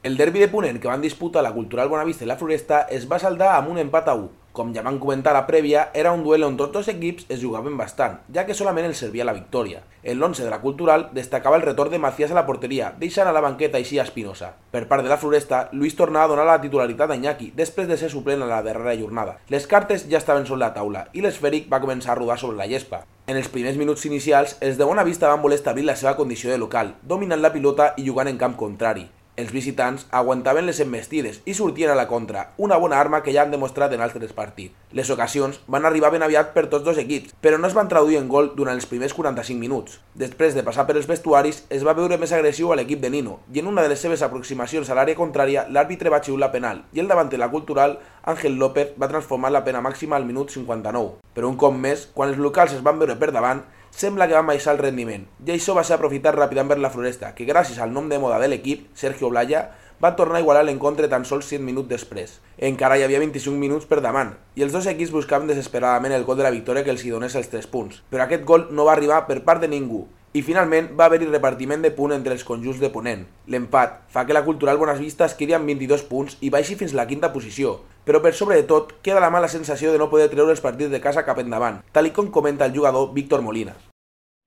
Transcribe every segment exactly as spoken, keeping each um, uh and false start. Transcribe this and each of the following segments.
El derbi de Ponent que van disputar la Cultural Bonavista i la Floresta es va saldar amb un empat a u. Com ja vam comentar a la prèvia, era un duel on tots dos equips es jugaven bastant, ja que solament els servia la victòria. En l'onze de la Cultural destacava el retorn de Macías a la porteria, deixant a la banqueta així a Espinosa. Per part de la Floresta, Luis tornava a donar la titularitat a Iñaki, després de ser suplent a la darrera jornada. Les cartes ja estaven sobre la taula i l'esfèric va començar a rodar sobre la gespa. En els primers minuts inicials, els de Bonavista van voler establir la seva condició de local, dominant la pilota i jugant en camp contrari. Els visitants aguantaven les envestides i sortien a la contra, una bona arma que ja han demostrat en altres partits. Les ocasions van arribar ben aviat per tots dos equips, però no es van traduir en gol durant els primers quaranta-cinc minuts. Després de passar per els vestuaris, es va veure més agressiu a l'equip de Nino, i en una de les seves aproximacions a l'àrea contrària, l'àrbitre va xiular penal, i el davanter de la Cultural, Ángel López, va transformar la pena màxima al minut cinquanta-nou. Però un cop més, quan els locals es van veure per davant, sembla que van baixar el rendiment, i això va ser aprofitat ràpidament per la Floresta, que gràcies al nom de moda de l'equip, Sergio Blaya, va tornar a igualar l'encontre tan sols set minuts després. Encara hi havia vint-i-cinc minuts per davant, i els dos equips buscaven desesperadament el gol de la victòria que els hi donés els tres punts, però aquest gol no va arribar per part de ningú, i finalment va haver-hi repartiment de punt entre els conjunts de Ponent. L'empat fa que la Cultural Bonavista es quedi amb vint-i-dos punts i baixi fins la quinta posició, però per sobre de tot queda la mala sensació de no poder treure els partits de casa cap endavant, tal i com comenta el jugador Víctor Molina.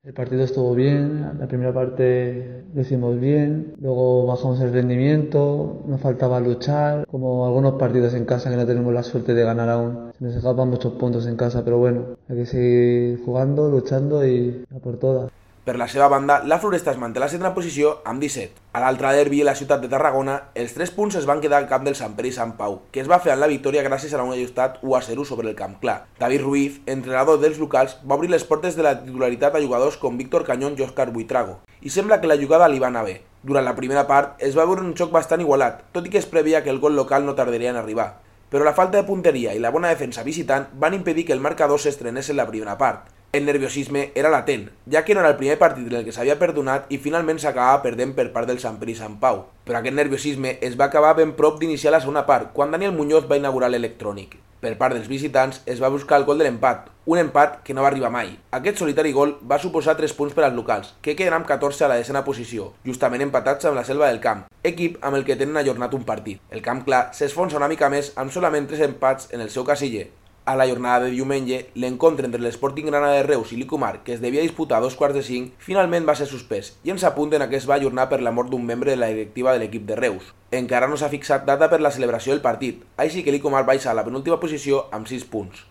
El partido estuvo bien, la primera parte lo hicimos bien, luego bajamos el rendimiento, nos faltaba luchar, como algunos partidos en casa que no tenemos la suerte de ganar aún. Se nos escapan muchos puntos en casa, pero bueno, hay que seguir jugando, luchando y a por todas. Per la seva banda, la Floresta es manté a la setena posició amb disset. A l'altre derbi a la ciutat de Tarragona, els tres punts es van quedar al camp del Sant Pere i Sant Pau, que es va fer en la victòria gràcies a un ajustat u a zero sobre el Camp Clar. David Ruiz, entrenador dels locals, va obrir les portes de la titularitat a jugadors com Víctor Cañón i Òscar Buitrago, i sembla que la jugada li va anar bé. Durant la primera part es va veure un xoc bastant igualat, tot i que es preveia que el gol local no tardaria en arribar. Però la falta de punteria i la bona defensa visitant van impedir que el marcador s'estrenés en la primera part. El nerviosisme era latent, ja que no era el primer partit en el que s'havia perdonat i finalment s'acabava perdent per part del Sant Pere i Sant Pau. Però aquest nerviosisme es va acabar ben prop d'iniciar la segona part, quan Daniel Muñoz va inaugurar l'electrònic. Per part dels visitants es va buscar el gol de l'empat, un empat que no va arribar mai. Aquest solitari gol va suposar tres punts per als locals, que queden amb catorze a la desena posició, justament empatats amb la Selva del Camp, equip amb el que tenen ajornat un partit. El Camp Clar s'esfonsa una mica més amb solament tres empats en el seu casiller. A la jornada de diumenge, l'encontre entre l'Sporting Granada de Reus i l'Icumar, que es devia disputar a dos quarts de cinc, finalment va ser suspès, i ens apunten a que es va ajornar per la mort d'un membre de la directiva de l'equip de Reus. Encara no s'ha fixat data per la celebració del partit, així que l'Icumar baixa a la penúltima posició amb sis punts.